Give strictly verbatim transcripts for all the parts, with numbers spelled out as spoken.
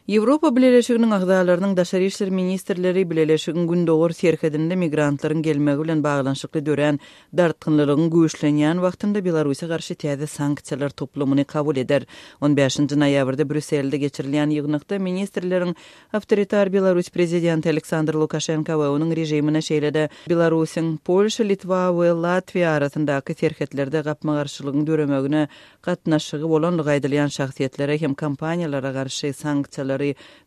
Ýewropa Bileleşiginiň agzalarynyň daşary işler ministrleri Bileleşigiň gündogar serhedinde migrantlaryň gelmegi bilen baglanyşykly dörän dartgynlylygyň güýçlenýän wagtynda Belarusa garşy täze sanksiýalar toplumyny kabul eder. On bäşinji noýabrda Brýusselde geçirilýän ýygnakda ministrleriň awtoritar Belarus prezidenti Aleksandr Lukaşenko we onuň režimine, şeýle-de Belarusyň Polşa, Litwa we Latwiýa arasyndaky serhetlerde gapma-garşylygyň döremegine gatnaşygy bolanlygy aýdylýan şahsyýetlere hem kompaniýalara garşy sanksiýalary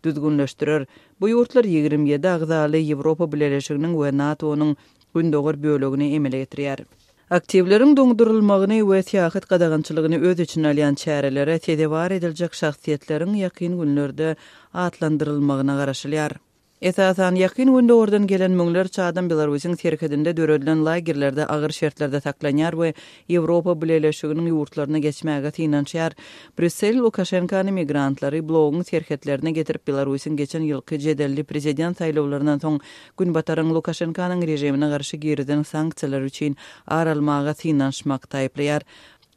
düzgünleşdirer. Bu ýurtlar ýigrimi ýedi agzaly Ýewropa Bileleşiginiň we NATO-nyň gündogar bölegini emele getirýär. Aktiwleriň doňdurylmagyny we syýahat gadagançylygyny öz içine alýan çärelere sezewar ediljek şahsyýetleriň ýakyn günlerde atlandyrylmagyna garaşylýar. Esasan, Ýakyn Gündogardan gelen müňlerçe adam Belarusyň serhedinde döredilen lagerlerde agyr şertlerde saklanýar we Ýewropa Bileleşiginiň ýurtlaryna geçmäge synanyşýar. Brýussel Lukaşenkany migrantlary bloguň serhetlerine getirip, Belarusyň geçen ýylky jedelli prezident saýlawlaryndan soň Günbataryň Lukaşenkanyň režimine garşy girizen sanksiýalary üçin ar almaga synanyşmakda aýyplaýar.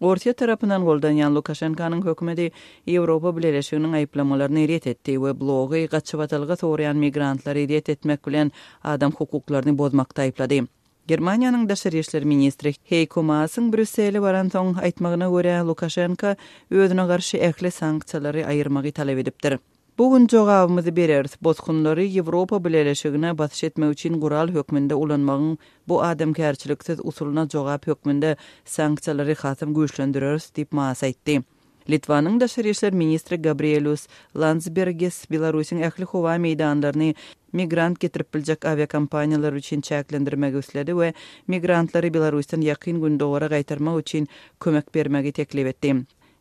Orsýet tarapyndan goldanýan Lukaşenkanyň hökümeti Ýewropa Bileleşiginiň aýyplamalaryny ret etdi we blogy gaçybatalga soraýan migrantlary ret etmek bilen adam hukuklaryny bozmakda aýyplady. Germaniýanyň daşary işler ministri Heýko Maasyň Brýussele baransoň aýtmagyna görä, Lukaşenko özüne garşy ähli sanksiýalary aýyrmagy talap edipdir. Bu gün jogabymyzy bereris, bosgunlary Ýewropa Bileleşigine basyş etmek üçin gural hökmünde ulanmagyň bu adamkärçiliksiz usulyna jogap hökmünde sanksiýalary hasam güýçlendireris diýip Maas aýtdy. Litwanyň daşary işler ministri Gabrielius Landsbergis Belarusyň ähli howa meýdanlaryny migrant getirip biljek awiakompaniýalar üçin çäklendirmegi isledi we migrantlary Belarusdan Ýakyn Gündogara gaýtarmak üçin kömek bermegi teklip etdi.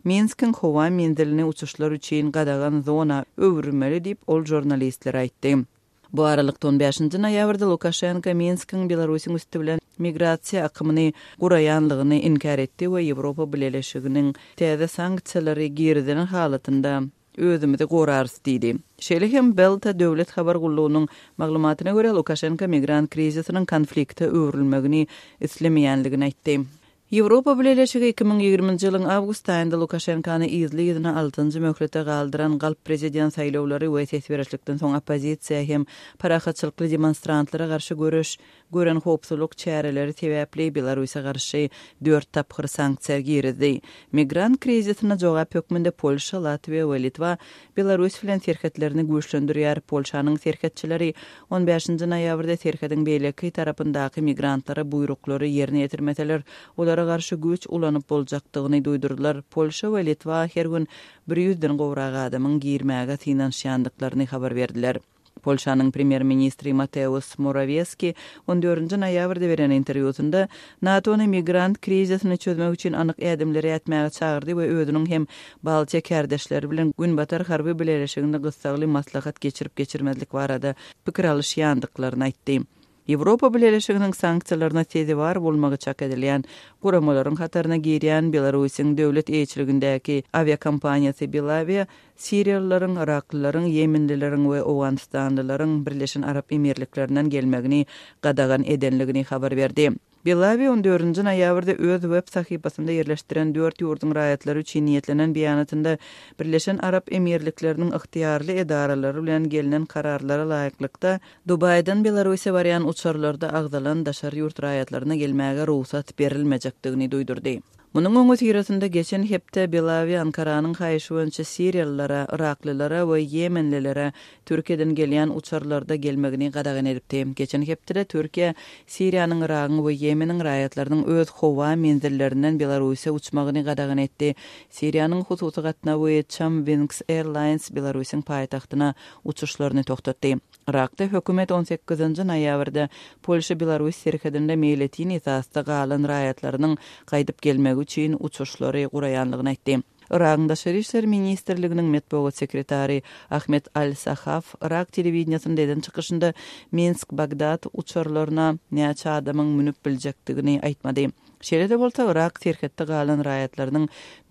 Minskiň howa menzilini uçuşlar üçin gadagan zona öwürmeli diýip ol žurnalistlere aýtdy. Bu aralykda on bäşinji noýabrda Lukaşenko Minskiň Belarusyň üsti bilen migrasiýa akymyny guraýanlygyny inkär etdi we Ýewropa Bileleşiginiň täze sanksiýalary girizilen halatynda özümizi gorarys diýdi. Şeýle hem Belta döwlet habar gullugynyň maglumatyna görä Lukaşenko migrant krizisiniň konflikte öwrülmegini islemeýänligini aýtdy. Ýewropa Bileleşigi iki müň ýigriminji ýylyň awgust aýynda Lukaşenkany yzly-yzyna altynjy möhlete galdyran galp prezident saýlawlary we ses berişlikden soň oppozisiýa hem parahatçylykly demonstrantlara garşy göreş gören howpsuzlyk çäreleri sebäpli Belarusa garşy dört tapgyr sanksiýa girizdi. Migrant krizisine jogap hökmünde Polşa, Latwiýa we Litwa Belarus bilen serhetlerini güýçlendirýär. Polşanyň serhetçileri on bäşinji noýabrda serhediň beýleki tarapyndaky migrantlara buýruklary ýerine ýetirmeseler, olara garşy güýç ulanyp boljakdygyny duýdurdylar. Polşa we Litwa her gün bir ýüzden gowrak adamyň girmäge synanyşýandyklaryny habar berdiler. Polşanyň premýer-ministri Mateusz Morawiecki on dördünji noýabrda beren interwýusynda NATO-ny migrant krizisini çözmek üçin anyk ädimleri ätmäge çagyrdy we özüniň hem Baltiýa kärdeşleri bilen Günbatar harby bileleşiginde gyssagly maslahat geçirip geçirmezlik barada pikir alyşýandyklaryny aýtdy. Ýewropa Bileleşiginiň sanksiýalaryna sezewar bolmagy çak edilýän guramalaryň hataryna girýän Belarusyň döwlet eýeçiligindäki awiakompaniýasy Belavia siriýalylaryň, yraklylaryň, ýemenlileriň we owganystanlylaryň Birleşen Arap Emirliklerinden gelmegini gadagan edenligini habar berdi. Belavia on dördünji noýabrda öz web sahypasynda ýerleşdiren dört ýurduň raýatlary üçin niýetlenen beýanatynda Birleşen Arap Emirlikleriniň ygtyýarly edaralary bilen gelnen kararlara laýyklykda Dubaýdan Belarusiýa barýan uçarlarda agzalan daşary ýurt raýatlaryna gelmäge rugsat berilmejekdigini duýdurdy. Munuň öňüsyrasynda geçen hepde Belavia Ankaranyň haýyşy boýunça siriýalylara, yraklylara we ýemenlilere Türkiýeden gelýän uçarlarda gelmegini gadagan edipdi. Geçen hepdede Türkiýe Siriýanyň, Yragyň we Ýemeniň raýatlarynyň öz howa menzillerinden Belarusiýa uçmagyny gadagan etdi. Siriýanyň hususy gatnawy Chamwings Airlines Belarusyň paýtagtyna uçuşlaryny togtatdy. Yrakda hökümet on sekizinji noýabrda Polşa-Belarus serhedinde meýletin esasda galan raýatlarynyň gaýdyp gelmegi üçin uçuşlary guraýanlygyny aýtdy. Yragyň Daşary işler ministrliginiň metbugat sekretary Ahmet Al-Sahaf Yrak telewideniýasynda eden çykyşynda Minsk-Bagdad uçarlaryna näçe adamyň münüp biljekdigini aýtmady. Şeýle-de bolsa, Yrak serhetde galan raýatlarynyň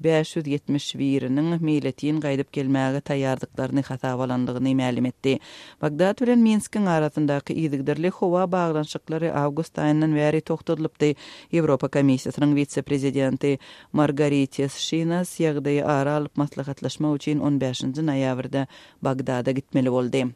bäş ýüz ýetmiş biriniň meýletin gaýdyp gelmäge taýýardyklaryny hasaba alandygyny mälim etdi. Bagdat bilen Minskiň arasyndaky yzygiderli howa baglanyşyklary awgust aýyndan bäri togtadylypdy. Ýewropa Komissiýasynyň wise-prezidenti Margaritis Şinas ýagdaýy ara alyp maslahatlaşmak üçin on bäşinji noýabrda Bagdada gitmeli boldy.